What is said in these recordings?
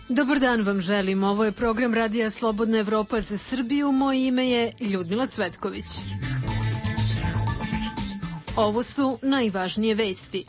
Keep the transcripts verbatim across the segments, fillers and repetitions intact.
Dobar dan vam želim. Ovo je program Radija Slobodna Evropa za Srbiju. Moje ime je Ljudmila Cvetković. Ovo su najvažnije vesti.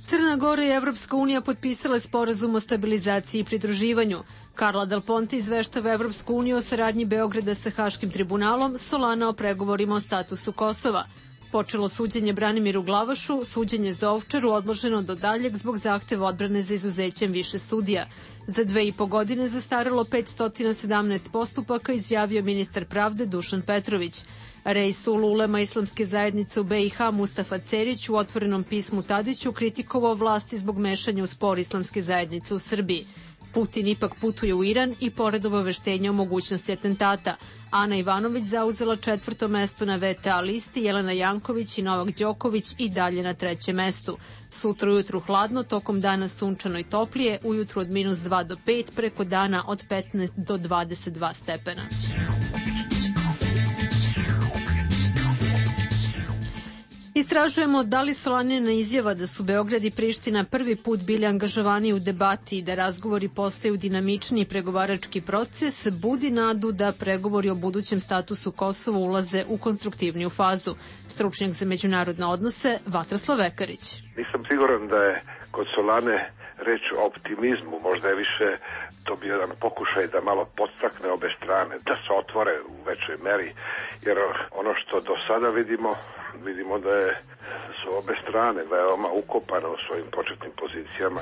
Crna Gora i Evropska unija potpisale sporazum o stabilizaciji i pridruživanju. Carla Del Ponte izveštava Evropsku uniju o saradnji Beograda sa Haškim tribunalom, Solana o pregovorima o statusu Kosova. Počelo suđenje Branimiru Glavašu, suđenje za Ovčaru odloženo do daljeg zbog zahteva odbrane za izuzećem više sudija. Za dve i po godine zastarelo petsto sedamnaest postupaka, izjavio ministar pravde Dušan Petrović. Reisul ulema Islamske zajednice u B i H Mustafa Cerić u otvorenom pismu Tadiću kritikovao vlasti zbog mešanja u spor Islamske zajednice u Srbiji. Putin ipak putuje u Iran i pored obaveštenja o mogućnosti atentata. Ana Ivanović zauzela četvrto mesto na V T A listi, Jelena Janković i Novak Đoković i dalje na trećem mestu. Sutra ujutru hladno, tokom dana sunčano i toplije, ujutru od minus dva do pet, preko dana od petnaest do dvadeset dva stepena. Istražujemo da li Solanina izjava da su Beograd i Priština prvi put bili angažovani u debati i da razgovori postaju dinamičniji pregovarački proces, budi nadu da pregovori o budućem statusu Kosova ulaze u konstruktivniju fazu. Stručnjak za međunarodne odnose Vatroslav Vekarić. Nisam siguran da je kod Solane reč o optimizmu, možda je više to bio jedan pokušaj da malo podstakne obe strane, da se otvore u većoj meri, jer ono što do sada vidimo, vidimo da je, su obe strane veoma ukopane u svojim početnim pozicijama.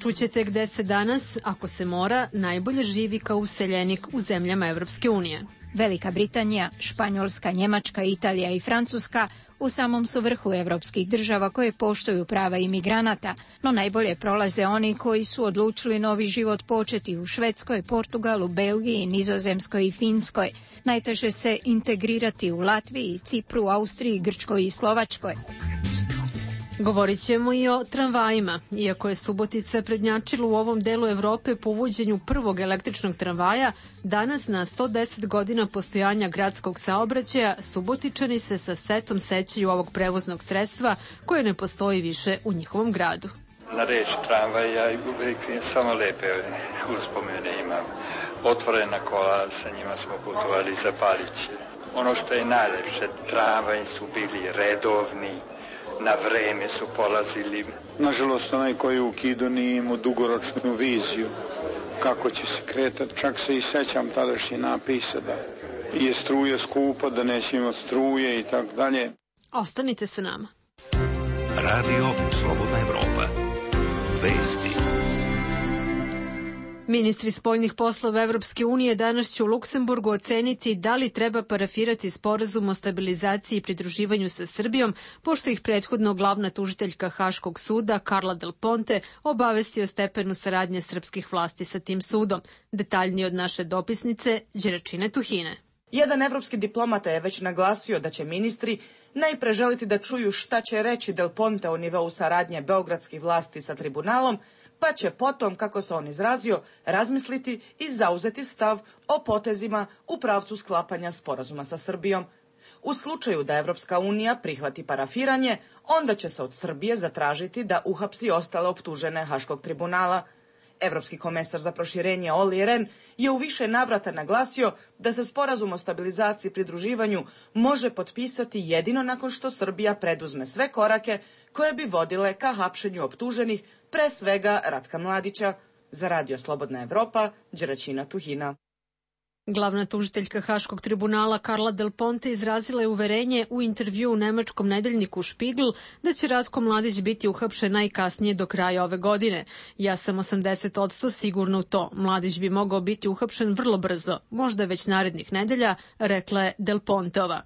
Čućete gde se danas, ako se mora, najbolje živi kao useljenik u zemljama Evropske unije. Velika Britanija, Španjolska, Njemačka, Italija i Francuska u samom su vrhu evropskih država koje poštuju prava imigranata, no najbolje prolaze oni koji su odlučili novi život početi u Švedskoj, Portugalu, Belgiji, Nizozemskoj i Finskoj. Najteže se integrirati u Latviji, Cipru, Austriji, Grčkoj i Slovačkoj. Govorit ćemo i o tramvajima. Iako je Subotica prednjačila u ovom delu Evrope po uvođenju prvog električnog tramvaja, danas na sto deset godina postojanja gradskog saobraćaja Subotičani se sa setom sećaju ovog prevoznog sredstva koje ne postoji više u njihovom gradu. Na reč tramvaj ja uvijek samo lepe uspomene imam. Otvorena kola, sa njima smo putovali za Paliće. Ono što je najlepše, tramvaji su bili redovni, na vreme su polazili. Nažalost, onaj koji je ukido nije imao dugoročnu viziju kako će se kretati. Čak se i sećam tadašnji napisa da je struja skupa, da neće imati struje i tako dalje. Ostanite sa nama. Radio Slobodna Evropa. Vesti. Ministri spoljnih poslova Evropske unije danas će u Luksemburgu oceniti da li treba parafirati sporazum o stabilizaciji i pridruživanju sa Srbijom, pošto ih prethodno glavna tužiteljka Haškog suda Carla Del Ponte obavesti o stepenu saradnje srpskih vlasti sa tim sudom. Detaljnije od naše dopisnice Đeračine Tuhine. Jedan evropski diplomata je već naglasio da će ministri najpre želiti da čuju šta će reći Del Ponte o nivou saradnje beogradskih vlasti sa tribunalom, pa će potom, kako se on izrazio, razmisliti i zauzeti stav o potezima u pravcu sklapanja sporazuma sa Srbijom. U slučaju da Evropska unija prihvati parafiranje, onda će se od Srbije zatražiti da uhapsi ostale optužene Haškog tribunala. Evropski komesar za proširenje Olli Rehn je u više navrata naglasio da se sporazum o stabilizaciji i pridruživanju može potpisati jedino nakon što Srbija preduzme sve korake koje bi vodile ka hapšenju optuženih, pre svega Ratka Mladića. Za Radio Slobodna Evropa, Đeračina Tuhina. Glavna tužiteljka Haškog tribunala Carla Del Ponte izrazila je uverenje u intervju u nemačkom nedeljniku Spiegel da će Ratko Mladić biti uhapšen najkasnije do kraja ove godine. Ja sam osamdeset posto sigurna u to. Mladić bi mogao biti uhapšen vrlo brzo, možda već narednih nedelja, rekla je Del Ponteova.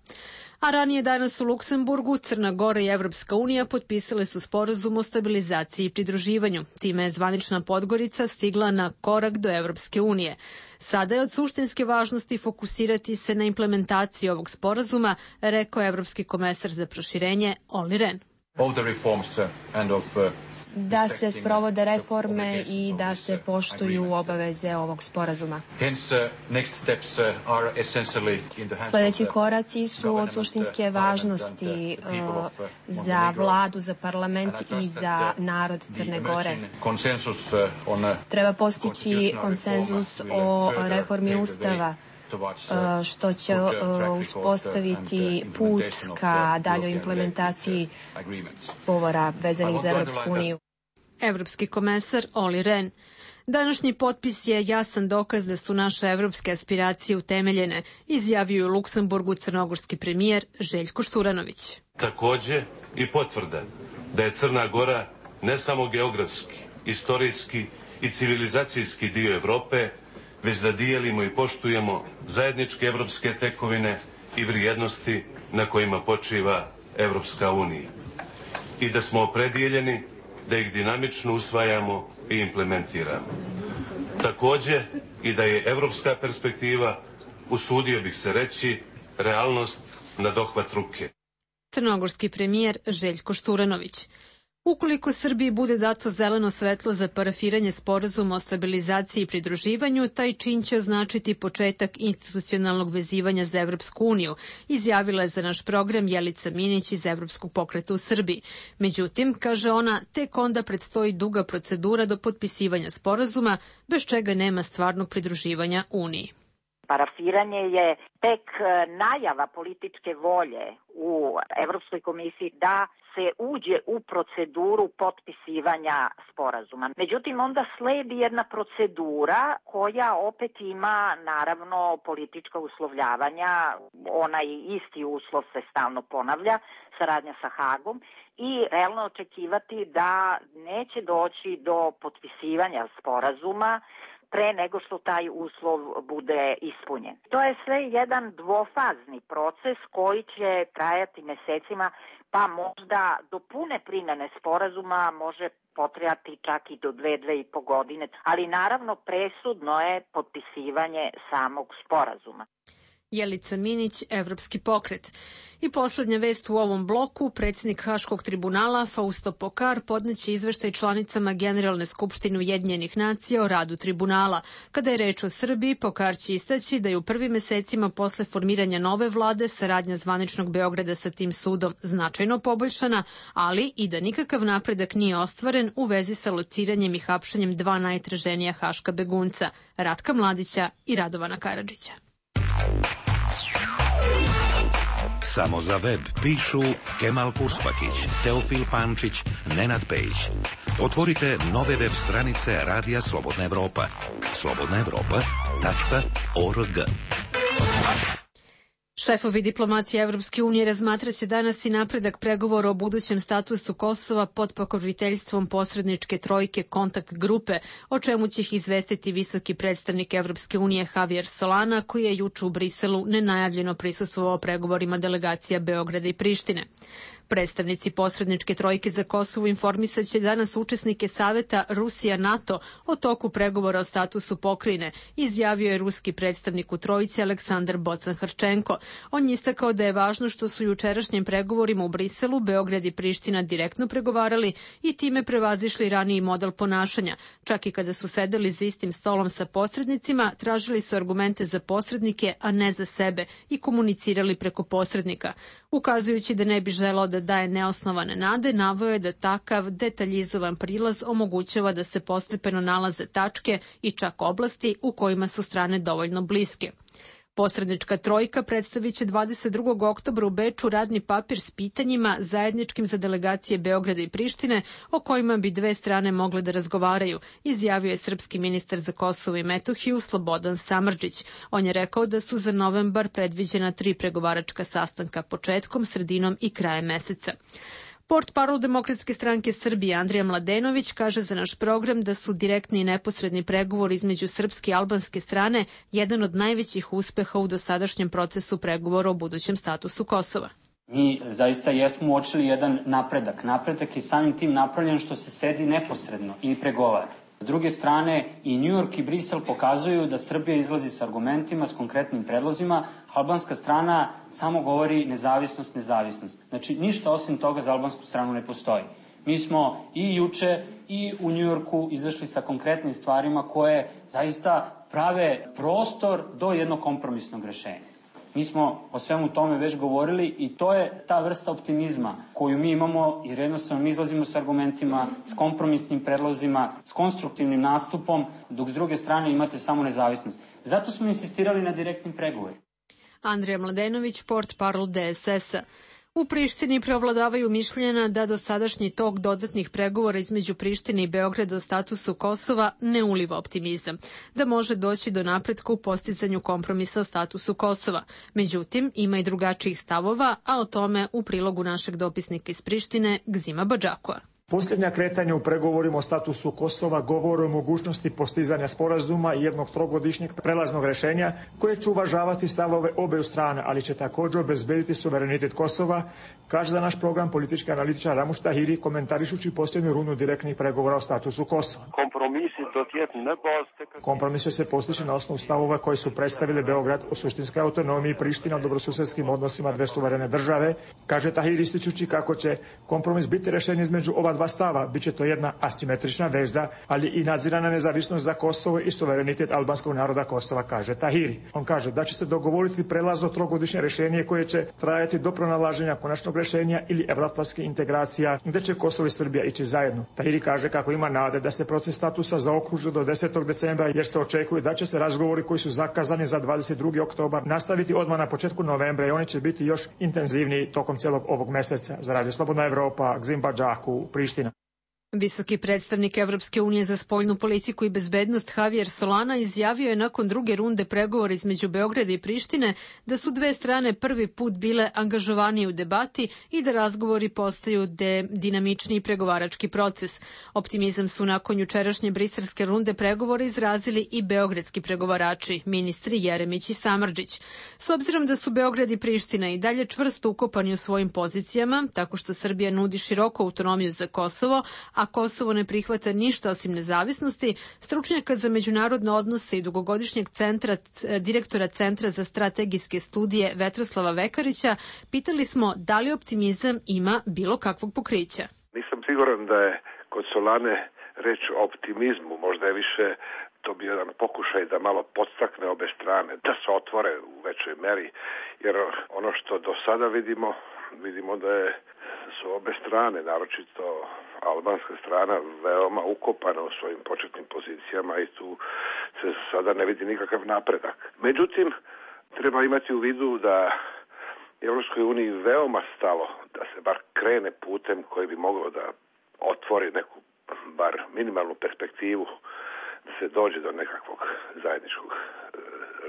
A ranije danas u Luksemburgu Crna Gora i Evropska unija potpisale su sporazum o stabilizaciji i pridruživanju. Time je zvanična Podgorica stigla na korak do Evropske unije. Sada je od suštinske važnosti fokusirati se na implementaciju ovog sporazuma, rekao je evropski komesar za proširenje Olli Rehn. Of the reforms and of da se sprovode reforme i da se poštuju obaveze ovog sporazuma. Sljedeći koraci su od suštinske važnosti za vladu, za parlament i za narod Crne Gore. Treba postići konsenzus o reformi Ustava, što će uspostaviti put ka daljoj implementaciji ugovora vezanih za Evropsku uniju. Evropski komesar Olli Rehn. Današnji potpis je jasan dokaz da su naše evropske aspiracije utemeljene, izjavio u Luksemburgu crnogorski premijer Željko Šturanović. Takođe i potvrda da je Crna Gora ne samo geografski, istorijski i civilizacijski dio Evrope, već da dijelimo i poštujemo zajedničke evropske tekovine i vrijednosti na kojima počiva Evropska unija. I da smo opredjeljeni da ih dinamično usvajamo i implementiramo. Takođe i da je evropska perspektiva, usudio bih se reći, realnost na dohvat ruke. Crnogorski premijer Željko Šturanović. Ukoliko Srbiji bude dato zeleno svetlo za parafiranje sporazuma o stabilizaciji i pridruživanju, taj čin će označiti početak institucionalnog vezivanja za Evropsku uniju, izjavila je za naš program Jelica Minić iz Evropskog pokreta u Srbiji. Međutim, kaže ona, tek onda predstoji duga procedura do potpisivanja sporazuma, bez čega nema stvarnog pridruživanja Uniji. Parafiranje je tek najava političke volje u Evropskoj komisiji da se uđe u proceduru potpisivanja sporazuma. Međutim, onda sledi jedna procedura koja opet ima naravno politička uslovljavanja, onaj isti uslov se stalno ponavlja, saradnja sa Hagom i realno očekivati da neće doći do potpisivanja sporazuma pre nego što taj uslov bude ispunjen. To je sve jedan dvofazni proces koji će trajati mesecima, pa možda do pune primene sporazuma može potrajati čak i do dve, dve i po godine, ali naravno presudno je potpisivanje samog sporazuma. Jelica Minić, Evropski pokret. I poslednja vest u ovom bloku, predsjednik Haškog tribunala Fausto Pokar podneće izveštaj članicama Generalne skupštine Ujedinjenih nacija o radu tribunala. Kada je reč o Srbiji, Pokar će istaći da je u prvim mesecima posle formiranja nove vlade saradnja zvaničnog Beograda sa tim sudom značajno poboljšana, ali i da nikakav napredak nije ostvaren u vezi sa lociranjem i hapšenjem dva najtraženija haška begunca, Ratka Mladića i Radovana Karadžića. Samo za web pišu Kemal Kurspakić, Teofil Pančić, Nenad Pejić. Otvorite nove web stranice Radija Slobodna Evropa. slobodna evropa tačka org. Šefovi diplomatije Evropske unije razmatraće danas i napredak pregovora o budućem statusu Kosova pod pokroviteljstvom posredničke trojke kontakt grupe, o čemu će ih izvestiti visoki predstavnik Evropske unije Javier Solana, koji je juče u Briselu nenajavljeno prisustvovao pregovorima delegacija Beograda i Prištine. Predstavnici posredničke trojke za Kosovo informisat će danas učesnike saveta Rusija-NATO o toku pregovora o statusu pokrajine, izjavio je ruski predstavnik u trojici Aleksandar Bocan-Hrčenko. On je istakao da je važno što su jučerašnjim pregovorima u Briselu Beograd i Priština direktno pregovarali i time prevazišli raniji model ponašanja. Čak i kada su sedeli za istim stolom sa posrednicima, tražili su argumente za posrednike, a ne za sebe i komunicirali preko posrednika. Ukazujući da ne bi želao da daje neosnovane nade, naveo je da takav detaljizovan prilaz omogućava da se postepeno nalaze tačke i čak oblasti u kojima su strane dovoljno bliske. Posrednička trojka predstavit će dvadeset drugog oktobra u Beču radni papir s pitanjima zajedničkim za delegacije Beograda i Prištine o kojima bi dve strane mogle da razgovaraju, izjavio je srpski ministar za Kosovo i Metohiju Slobodan Samardžić. On je rekao da su za novembar predviđena tri pregovaračka sastanka početkom, sredinom i krajem meseca. Portparol Demokratske stranke Srbije Andrija Mladenović kaže za naš program da su direktni i neposredni pregovori između srpske i albanske strane jedan od najvećih uspeha u dosadašnjem procesu pregovora o budućem statusu Kosova. Mi zaista jesmo uočili jedan napredak. Napredak je samim tim napravljen što se sedi neposredno i pregovara. S druge strane, i New York i Brisel pokazuju da Srbija izlazi s argumentima, s konkretnim predlozima, albanska strana samo govori nezavisnost, nezavisnost. Znači, ništa osim toga za albansku stranu ne postoji. Mi smo i juče i u Njujorku izašli sa konkretnim stvarima koje zaista prave prostor do jednog kompromisnog rešenja. Mi smo o svemu tome već govorili i to je ta vrsta optimizma koju mi imamo, jer jednostavno mi izlazimo s argumentima, s kompromisnim predlozima, s konstruktivnim nastupom, dok s druge strane imate samo nezavisnost. Zato smo insistirali na direktnim pregovorima. Andrija Mladenović, portparol D S S-a. U Prištini preovladavaju mišljenja da dosadašnji tok dodatnih pregovora između Prištine i Beograda o statusu Kosova ne uliva optimizam, da može doći do napretka u postizanju kompromisa o statusu Kosova. Međutim, ima i drugačijih stavova, a o tome u prilogu našeg dopisnika iz Prištine, Gzima Badžakua. Posljednja kretanja u pregovorima o statusu Kosova govore o mogućnosti postizanja sporazuma i jednog trogodišnjeg prelaznog rešenja koje će uvažavati stavove obeju strane, ali će također obezbediti suverenitet Kosova, kaže za naš program politički analitičar Ramuš Tahiri komentarišući posljednju rundu direktnih pregovora o statusu Kosova. Kompromis će se postići na osnovu stavova koji su predstavili Beograd o suštinskoj autonomiji i Priština o dobrosusedskim odnosima dve suverene države, kaže Tahiri ističući kako će kompromis biti rešenje između ova dva stava. Biće to jedna asimetrična veza, ali i nadzirana nezavisnost za Kosovo i suverenitet albanskog naroda Kosova, kaže Tahiri. On kaže da će se dogovoriti prelazno trogodišnje rešenje koje će trajati do pronalaženja konačnog rešenja ili evroatlantske integracija, gde će Kosovo i Srbija ići zajedno. Tahiri kaže kako ima nade da se proces statusa zaokruži do desetog decembra, jer se očekuje da će se razgovori koji su zakazani za dvadeset drugi oktobar nastaviti odmah na početku novembra i oni će biti još intenzivniji tokom celog ovog meseca. Za Radio Slobodna Evropa, Gzim Badžaku, Priština. Visoki predstavnik Evropske unije za spoljnu politiku i bezbednost Javier Solana izjavio je nakon druge runde pregovora između Beograda i Prištine da su dve strane prvi put bile angažovanije u debati i da razgovori postaju de dinamičniji pregovarački proces. Optimizam su nakon jučerašnje briselske runde pregovora izrazili i beogradski pregovarači, ministri Jeremić i Samardžić. S obzirom da su Beograd i Priština i dalje čvrsto ukopani u svojim pozicijama, tako što Srbija nudi široku autonomiju za Kosovo, a Kosovo ne prihvata ništa osim nezavisnosti, stručnjaka za međunarodne odnose i dugogodišnjeg centra, direktora Centra za strategijske studije Vetroslava Vekarića, pitali smo da li optimizam ima bilo kakvog pokrića. Nisam siguran da je kod Solane reč o optimizmu, možda je više to bio jedan pokušaj da malo podstakne obe strane, da se otvore u većoj meri, jer ono što do sada vidimo, vidimo da je, su obe strane, naročito albanska strana, veoma ukopana u svojim početnim pozicijama i tu se sada ne vidi nikakav napredak. Međutim, treba imati u vidu da Evropskoj uniji veoma stalo da se bar krene putem koji bi moglo da otvori neku bar minimalnu perspektivu da se dođe do nekakvog zajedničkog e,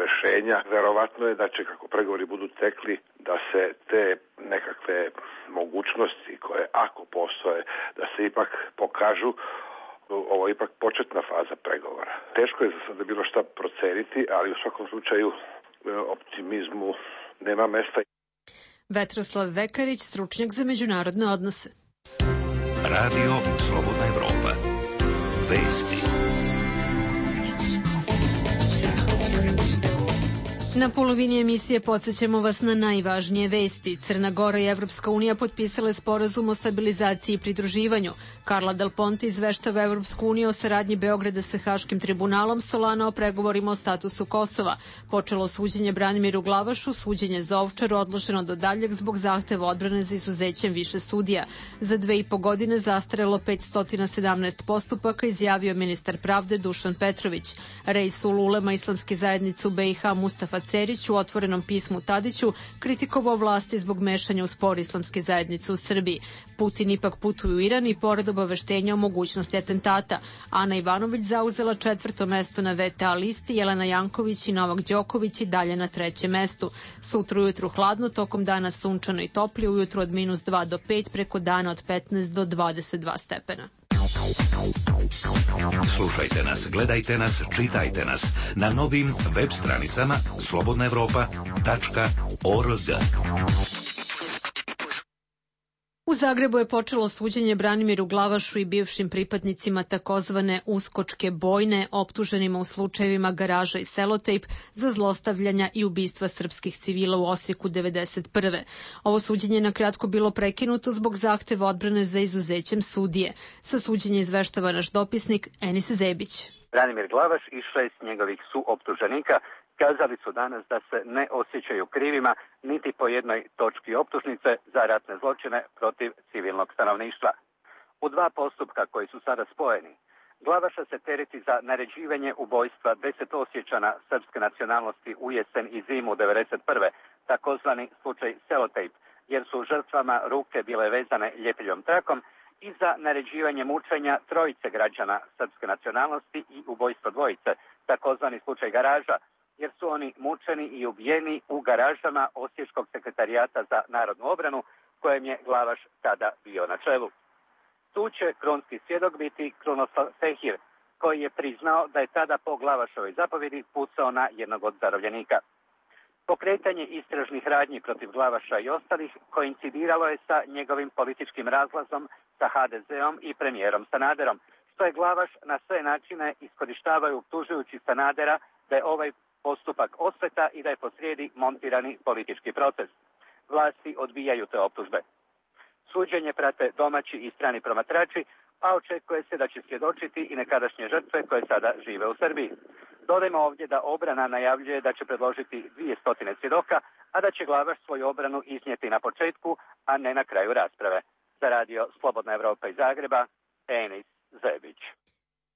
rešenja. Verovatno je da će, kako pregovori budu tekli, da se te nekakve mogućnosti koje ako postoje, da se ipak pokažu. Ovo je ipak početna faza pregovora. Teško je za sada bilo šta proceniti, ali u svakom slučaju optimizmu nema mesta. Vetroslav Vekarić, stručnjak za međunarodne odnose. Radio Slobodna Evropa. Vesti. Na polovini emisije podsjećamo vas na najvažnije vesti. Crna Gora i Evropska unija potpisale sporazum o stabilizaciji i pridruživanju. Carla Del Ponte izveštava Evropsku uniju o saradnji Beograda sa Haškim tribunalom, Solana o pregovorima o statusu Kosova. Počelo suđenje Branimiru Glavašu, suđenje za Ovčaru odloženo do daljeg zbog zahteva odbrane za izuzećem više sudija. Za dve i po godine zastarelo petsto sedamnaest postupaka, izjavio ministar pravde Dušan Petrović. Reisul ulema islamske zajednice u B i H Mustafa Cerić u otvorenom pismu Tadiću kritikovao vlasti zbog mešanja u spor islamske zajednice u Srbiji. Putin ipak putuje u Iran i pored obaveštenja o mogućnosti atentata. Ana Ivanović zauzela četvrto mesto na V T A listi, Jelena Janković i Novak Đoković i dalje na trećem mestu. Sutra ujutru hladno, tokom dana sunčano i toplije, ujutru od minus dva do pet, preko dana od petnaest do dvadeset dva stepena. Slušajte nas, gledajte nas, čitajte nas na novim web stranicama slobodna evropa tačka org. U Zagrebu je počelo suđenje Branimiru Glavašu i bivšim pripadnicima takozvane uskočke bojne, optuženima u slučajevima Garaža i Selotejp za zlostavljanja i ubistva srpskih civila u Osijeku devedeset prve. Ovo suđenje je na kratko bilo prekinuto zbog zahteva odbrane za izuzećem sudije. Sa suđenja izveštava naš dopisnik Enis Zebić. Branimir Glavaš i šest njegovih suoptuženika kazali su danas da se ne osjećaju krivima niti po jednoj točki optužnice za ratne zločine protiv civilnog stanovništva. U dva postupka koji su sada spojeni, Glavaša se tereti za naređivanje ubojstva deset Osječana srpske nacionalnosti u jesen i zimu devedeset prve, takozvani slučaj Selotejp, jer su žrtvama ruke bile vezane ljepiljom trakom, i za naređivanje mučenja trojice građana srpske nacionalnosti i ubojstvo dvojice, takozvani slučaj Garaža, jer su oni mučeni i ubijeni u garažama Osječkog sekretarijata za narodnu obranu, kojem je Glavaš tada bio na čelu. Tu će krunski svjedok biti Krunoslav Fehir, koji je priznao da je tada po Glavašovoj zapovjedi pucao na jednog od zarobljenika. Pokretanje istražnih radnji protiv Glavaša i ostalih koincidiralo je sa njegovim političkim razlazom sa ha de zeom i premijerom Sanaderom, što je Glavaš na sve načine iskorištavaju optužujući Sanadera da je ovaj postupak osveta i da je posrijedi montirani politički proces. Vlasti odbijaju te optužbe. Suđenje prate domaći i strani promatrači, a očekuje se da će svjedočiti i nekadašnje žrtve koje sada žive u Srbiji. Dodajmo ovdje da obrana najavljuje da će predložiti dvije stotine svjedoka, a da će Glavaš svoju obranu iznijeti na početku, a ne na kraju rasprave. Za radio Slobodna Evropa iz Zagreba, Enis Zebić.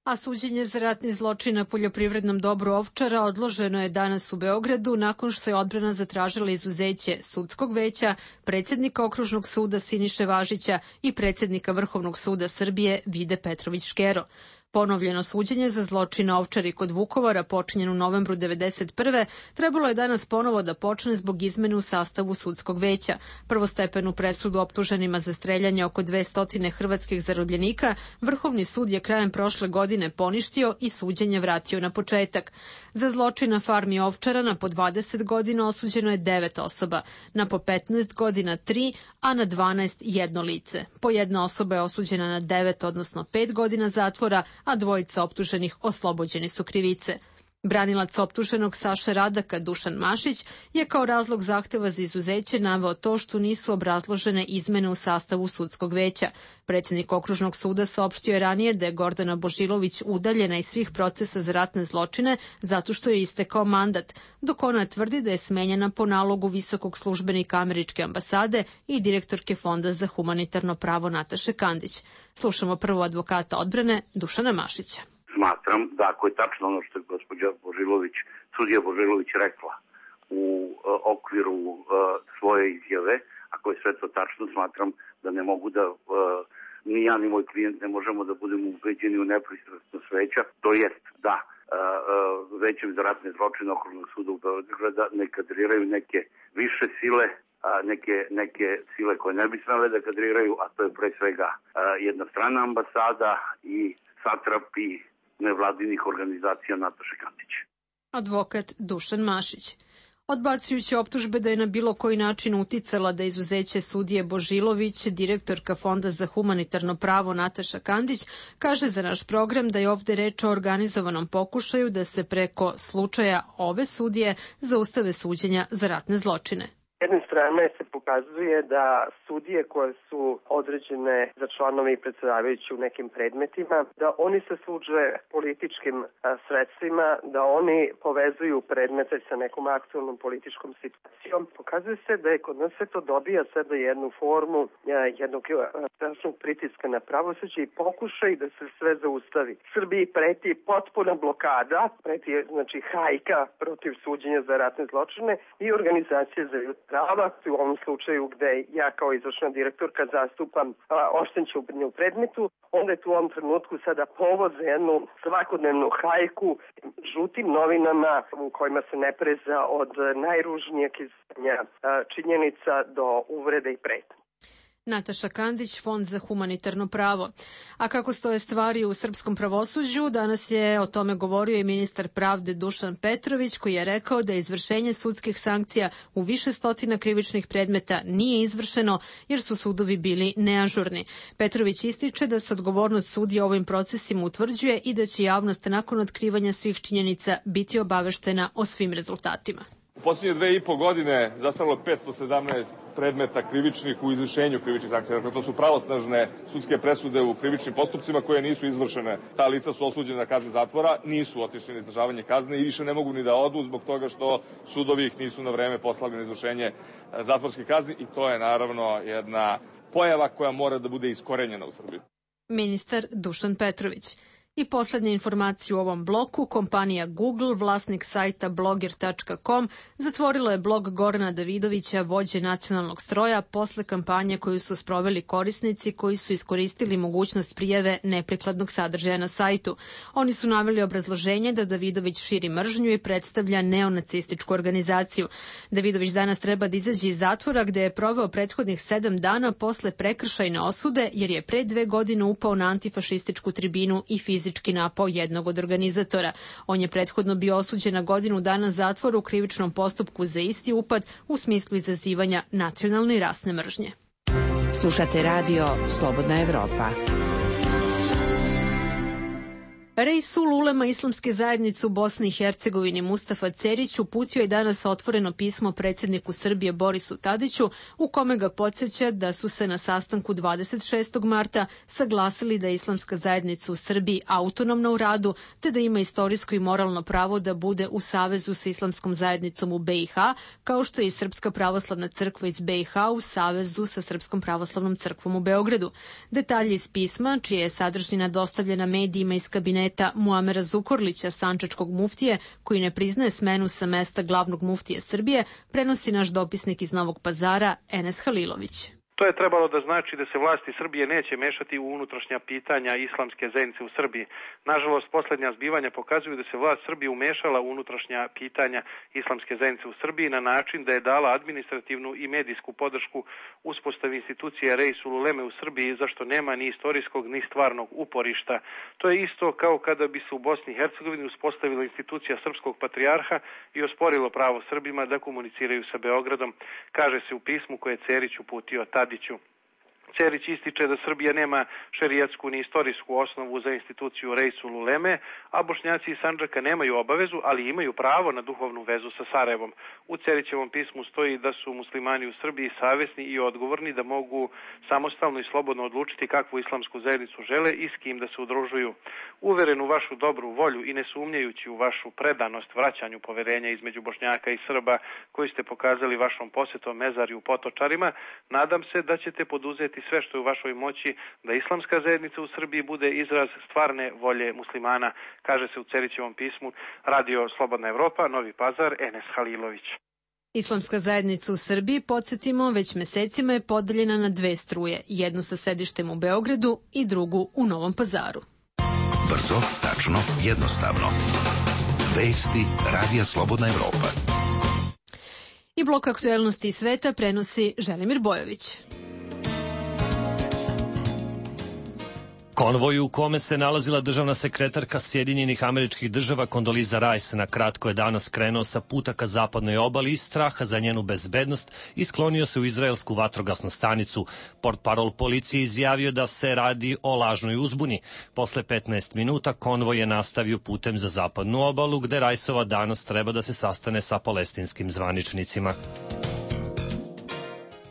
A suđenje za ratni zločin na poljoprivrednom dobru Ovčara odloženo je danas u Beogradu nakon što je odbrana zatražila izuzeće sudskog veća, predsjednika Okružnog suda Siniše Važića i predsjednika Vrhovnog suda Srbije Vide Petrović Škero. Ponovljeno suđenje za zločin na Ovčari kod Vukovara, počinjen u novembru devedeset prve, trebalo je danas ponovo da počne zbog izmene u sastavu sudskog veća. Prvostepenu presudu optuženima za streljanje oko dvesta hrvatskih zarobljenika Vrhovni sud je krajem prošle godine poništio i suđenje vratio na početak. Za zločin na farmi Ovčara na po dvadeset godina osuđeno je devet osoba, na po petnaest godina tri, a na dvanaest jedno lice. Po jedna osoba je osuđena na devet, odnosno pet godina zatvora, a dvojica optuženih oslobođeni su krivice. Branilac optuženog Saše Radaka, Dušan Mašić, je kao razlog zahteva za izuzeće naveo to što nisu obrazložene izmene u sastavu sudskog veća. Predsjednik Okružnog suda saopštio je ranije da je Gordana Božilović udaljena iz svih procesa za ratne zločine zato što je istekao mandat, dok ona tvrdi da je smenjena po nalogu visokog službenika američke ambasade i direktorke Fonda za humanitarno pravo Nataše Kandić. Slušamo prvo advokata odbrane Dušana Mašića. Smatram da ako je tačno ono što je gospođa Božilović, sudija Božilović rekla u uh, okviru uh, svoje izjave, ako je sve to tačno, smatram da ne mogu da, uh, ni ja ni moj klijent ne možemo da budemo ubeđeni u nepristrasnost veća, to jest da uh, uh, većem za ratne zločine Okružnog suda u Beograda ne kadriraju neke više sile, a neke, neke sile koje ne bi smele da kadriraju, a to je pre svega uh, jedna strana ambasada i satrapi nevladinih organizacija Nataše Kandić. Advokat Dušan Mašić. Odbacujući optužbe da je na bilo koji način uticala da izuzeće sudije Božilović, direktorka Fonda za humanitarno pravo Nataša Kandić kaže za naš program da je ovde reč o organizovanom pokušaju da se preko slučaja ove sudije zaustave suđenja za ratne zločine. S jedne strane se pokazuje da sudije koje su određene za članove i predsjedavajući u nekim predmetima, da oni se služe političkim a, sredstvima, da oni povezuju predmete sa nekom aktualnom političkom situacijom. Pokazuje se da je kod nas sve to dobija sada jednu formu a, jednog strašnog pritiska na pravosuđe i pokušaj da se sve zaustavi. Srbiji preti potpuna blokada, preti znači hajka protiv suđenja za ratne zločine i organizacije za ljudska prava, u ovom slučaju gde ja kao izvršna direktorka zastupam oštećenje u predmetu, onda je tu u ovom trenutku sada povod za jednu svakodnevnu hajku žutim novinama u kojima se ne preza od najružnijeg izvršenja činjenica do uvrede i pretnje. Nataša Kandić, Fond za humanitarno pravo. A kako stoje stvari u srpskom pravosuđu, danas je o tome govorio i ministar pravde Dušan Petrović, koji je rekao da izvršenje sudskih sankcija u više stotina krivičnih predmeta nije izvršeno jer su sudovi bili neažurni. Petrović ističe da se odgovornost sudija ovim procesima utvrđuje i da će javnost nakon otkrivanja svih činjenica biti obaveštena o svim rezultatima. U posljednje dve i po godine zastaralo petsto sedamnaest predmeta krivičnih u izvršenju krivičnih sankcija. Dakle, to su pravosnažne sudske presude u krivičnim postupcima koje nisu izvršene. Ta lica su osuđena na kazne zatvora, nisu otišli na izdržavanje kazne i više ne mogu ni da odu zbog toga što sudovi ih nisu na vreme poslali na izvršenje zatvorskih kazni i to je naravno jedna pojava koja mora da bude iskorenjena u Srbiji. Ministar Dušan Petrović. I poslednja informacija u ovom bloku, kompanija Google, vlasnik sajta bloger tačka com, zatvorila je blog Gorana Davidovića, vođe nacionalnog stroja, posle kampanje koju su sproveli korisnici koji su iskoristili mogućnost prijave neprikladnog sadržaja na sajtu. Oni su naveli obrazloženje da Davidović širi mržnju i predstavlja neonacističku organizaciju. Davidović danas treba da izađe iz zatvora gde je proveo prethodnih sedam dana posle prekršajne osude jer je pre dve godine upao na antifašističku tribinu i fizički fizički napao jednog od organizatora. On je prethodno bio osuđen na godinu dana zatvora u krivičnom postupku za isti upad u smislu izazivanja nacionalne i rasne mržnje. Slušate radio Slobodna Evropa. Reisul ulema Islamske zajednice u Bosni i Hercegovini Mustafa Cerić uputio je danas otvoreno pismo predsjedniku Srbije Borisu Tadiću u kome ga podsjeća da su se na sastanku dvadeset šestog marta saglasili da je Islamska zajednica u Srbiji autonomna u radu te da ima istorijsko i moralno pravo da bude u savezu sa Islamskom zajednicom u B i H, kao što je i Srpska pravoslavna crkva iz B i H u savezu sa Srpskom pravoslavnom crkvom u Beogradu. Detalji iz pisma, čija je sadržina dostavljena medijima iz kabineta Muamera Zukorlića, sančačkog muftije, koji ne priznaje smenu sa mesta glavnog muftije Srbije, prenosi naš dopisnik iz Novog Pazara, Enes Halilović. To je trebalo da znači da se vlasti Srbije neće mešati u unutrašnja pitanja islamske zajednice u Srbiji. Nažalost, posljednja zbivanja pokazuju da se vlast Srbije umešala u unutrašnja pitanja islamske zajednice u Srbiji na način da je dala administrativnu i medijsku podršku uspostavi institucije Reisul uleme u Srbiji, zašto nema ni istorijskog ni stvarnog uporišta. To je isto kao kada bi se u Bosni i Hercegovini uspostavila institucija srpskog patrijarha i osporilo pravo Srbima da komuniciraju sa Beogradom, kaže se u pismu koje je Cerić uputio Tadiću. Cerić ističe da Srbija nema šerijatsku ni istorijsku osnovu za instituciju Reisul uleme, a Bošnjaci iz Sandžaka nemaju obavezu, ali imaju pravo na duhovnu vezu sa Sarajevom. U Cerićevom pismu stoji da su muslimani u Srbiji savesni i odgovorni, da mogu samostalno i slobodno odlučiti kakvu islamsku zajednicu žele i s kim da se udružuju. Uveren u vašu dobru volju i ne sumnjajući u vašu predanost vraćanju poverenja između Bošnjaka i Srba koji ste pokazali vašom posjetom Mezarju u Potočarima, nadam se da ćete poduzeti sve što je u vašoj moći da islamska zajednica u Srbiji bude izraz stvarne volje muslimana, kaže se u Cerićevom pismu. Radio Slobodna Evropa, Novi Pazar, Enes Halilović. Islamska zajednica u Srbiji, podsjetimo, već mesecima je podeljena na dve struje, jednu sa sedištem u Beogradu i drugu u Novom Pazaru. Brzo, tačno, jednostavno. Vesti Radija Slobodna Evropa. I blok aktuelnosti iz sveta prenosi Želimir Bojović. Konvoj u kome se nalazila državna sekretarka Sjedinjenih Američkih Država Kondoliza Rice na kratko je danas krenuo sa puta ka zapadnoj obali iz straha za njenu bezbednost i sklonio se u izraelsku vatrogasnu stanicu. Portparol policije izjavio da se radi o lažnoj uzbuni. Posle petnaest minuta konvoj je nastavio putem za zapadnu obalu gde Riceova danas treba da se sastane sa palestinskim zvaničnicima.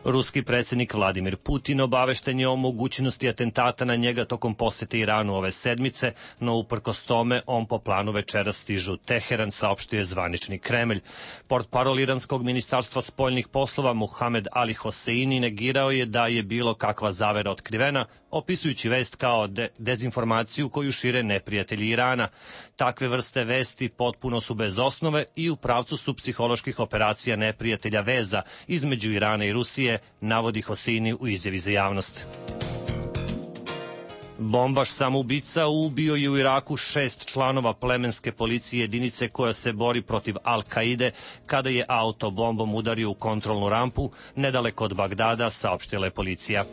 Ruski predsjednik Vladimir Putin obavešten je o mogućnosti atentata na njega tokom posete Iranu ove sedmice, no uprkos tome on po planu večera stiže u Teheran, saopštio je zvanični Kremlj. Portparol iranskog ministarstva spoljnih poslova Muhamed Ali Hoseini negirao je da je bilo kakva zavera otkrivena, opisujući vest kao de dezinformaciju koju šire neprijatelji Irana. Takve vrste vesti potpuno su bez osnove i u pravcu su psiholoških operacija neprijatelja veza između Irana i Rusije, navodi Hoseini u izjavi za javnost. Bombaš samoubica ubio je u Iraku šest članova plemenske policije jedinice koja se bori protiv Al-Kaide kada je auto bombom udario u kontrolnu rampu nedaleko od Bagdada, saopštila je policija.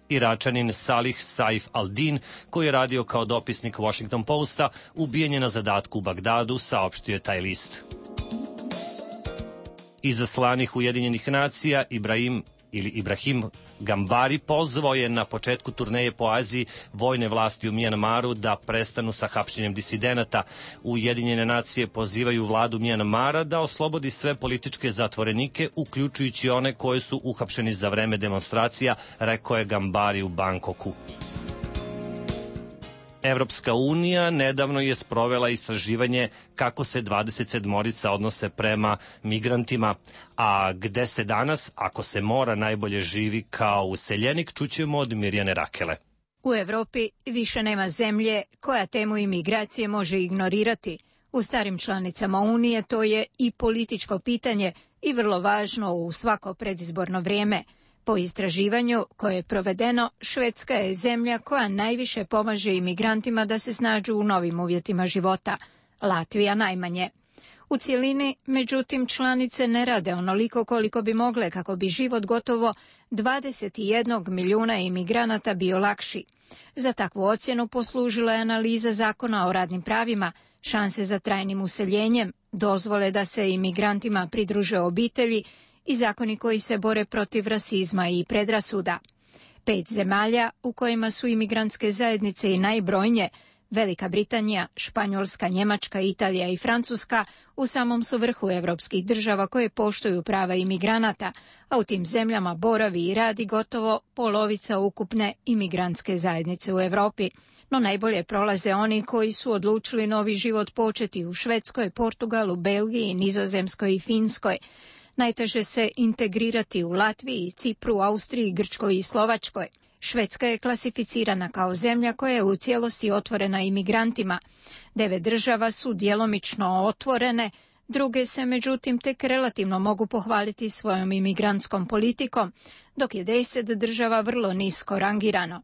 Iračanin Salih Saif al-Din, koji je radio kao dopisnik Washington Posta, ubijen je na zadatku u Bagdadu, saopštio je taj list. Izaslanih Ujedinjenih nacija Ibrahim ili Ibrahim Gambari pozvao je na početku turneje po Aziji vojne vlasti u Mijanmaru da prestanu sa hapšenjem disidenata. Ujedinjene nacije pozivaju vladu Mijanmara da oslobodi sve političke zatvorenike, uključujući one koje su uhapšeni za vreme demonstracija, rekao je Gambari u Bangkoku. Evropska unija nedavno je sprovela istraživanje kako se dvadeset sedmorica odnose prema migrantima, a gde se danas, ako se mora, najbolje živi kao useljenik, čućemo od Mirjane Rakele. U Evropi više nema zemlje koja temu imigracije može ignorirati. U starim članicama Unije to je i političko pitanje i vrlo važno u svako predizborno vrijeme. Po istraživanju koje je provedeno, Švedska je zemlja koja najviše pomaže imigrantima da se snađu u novim uvjetima života, Latvija najmanje. U cijelini, međutim, članice ne rade onoliko koliko bi mogle kako bi život gotovo dvadeset jedan milijuna imigranata bio lakši. Za takvu ocjenu poslužila je analiza zakona o radnim pravima, šanse za trajnim useljenjem, dozvole da se imigrantima pridruže obitelji i zakoni koji se bore protiv rasizma i predrasuda. Pet zemalja u kojima su imigrantske zajednice i najbrojnije, Velika Britanija, Španjolska, Njemačka, Italija i Francuska, u samom su vrhu evropskih država koje poštuju prava imigranata, a u tim zemljama boravi i radi gotovo polovica ukupne imigrantske zajednice u Evropi. No najbolje prolaze oni koji su odlučili novi život početi u Švedskoj, Portugalu, Belgiji, Nizozemskoj i Finskoj. Najteže se integrirati u Latviji, Cipru, Austriji, Grčkoj i Slovačkoj. Švedska je klasificirana kao zemlja koja je u cijelosti otvorena imigrantima. Devet država su djelomično otvorene, druge se međutim tek relativno mogu pohvaliti svojom imigrantskom politikom, dok je deset država vrlo nisko rangirano.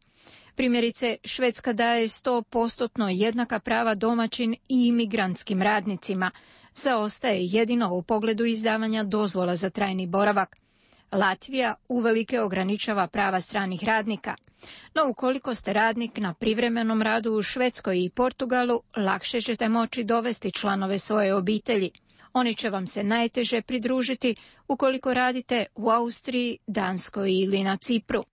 Primjerice, Švedska daje sto posto jednaka prava domaćin i imigrantskim radnicima. Zaostaje jedino u pogledu izdavanja dozvola za trajni boravak. Latvija uvelike ograničava prava stranih radnika. No ukoliko ste radnik na privremenom radu u Švedskoj i Portugalu, lakše ćete moći dovesti članove svoje obitelji. Oni će vam se najteže pridružiti ukoliko radite u Austriji, Danskoj ili na Cipru.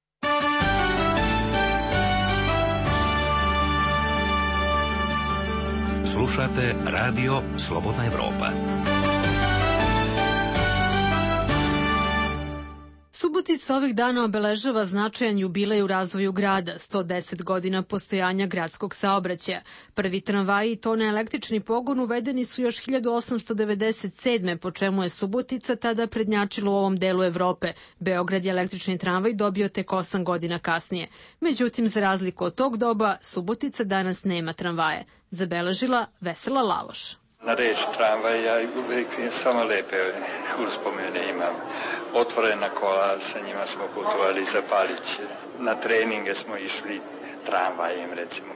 Slušate Radio Slobodna Evropa. Subotica ovih dana obeležava značajan jubilej u razvoju grada, sto deset godina postojanja gradskog saobraćaja. Prvi tramvaji i to na električni pogon uvedeni su još hiljadu osamsto devedeset sedme. po čemu je Subotica tada prednjačila u ovom delu Evrope. Beograd je električni tramvaj dobio tek osam godina kasnije. Međutim, za razliku od tog doba, Subotica danas nema tramvaje. Zabeležila Vesela Laloš. Na reč tramvaj ja uvijek samo lepe uspomene imam. Otvorena kola, sa njima smo putovali za Paliće. Na treninge smo išli tramvajem, recimo.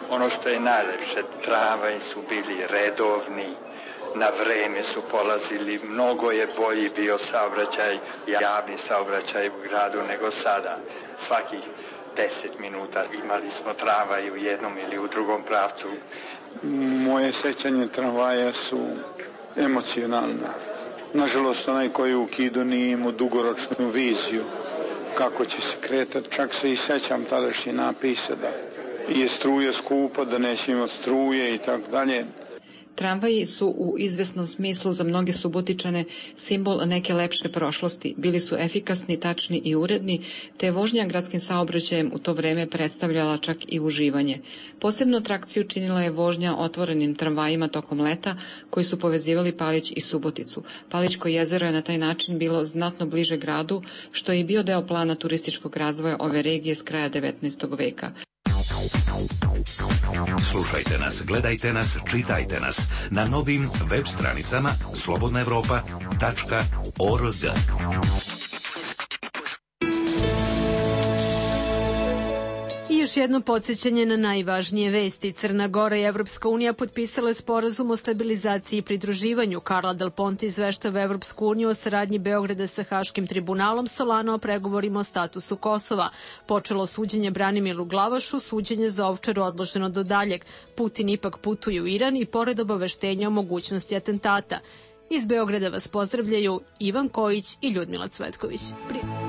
Ono što je najlepše, tramvaji su bili redovni, na vreme su polazili, mnogo je bolji bio saobraćaj, javni saobraćaj u gradu nego sada. Svakih deset minuta imali smo tramvaj u jednom ili u drugom pravcu. Moje sećanje tramvaja su emocionalne. Nažalost, onaj koji u Kidu nije imao dugoročnu viziju kako će se kretati. Čak se i sećam tadašnji napisa da je struja skupa, da neće imati struje i tako dalje. Tramvaji su u izvesnom smislu za mnoge Subotičane simbol neke lepše prošlosti. Bili su efikasni, tačni i uredni, te je vožnja gradskim saobraćajem u to vreme predstavljala čak i uživanje. Posebnu atrakciju činila je vožnja otvorenim tramvajima tokom leta, koji su povezivali Palić i Suboticu. Palićko jezero je na taj način bilo znatno bliže gradu, što je i bio deo plana turističkog razvoja ove regije s kraja devetnaestog veka. Slušajte nas, gledajte nas, čitajte nas na novim web stranicama slobodna evropa tačka org. Još jedno podsjećanje na najvažnije vesti. Crna Gora i Evropska unija potpisale sporazum o stabilizaciji i pridruživanju. Carla Del Ponte izveštava Evropsku uniju o saradnji Beograda sa Haškim tribunalom, Solana o pregovorima o statusu Kosova. Počelo suđenje Branimiru Glavašu, suđenje za Ovčaru odloženo do daljeg. Putin ipak putuje u Iran i pored obaveštenja o mogućnosti atentata. Iz Beograda vas pozdravljaju Ivan Kojić i Ljudmila Cvetković. Prije.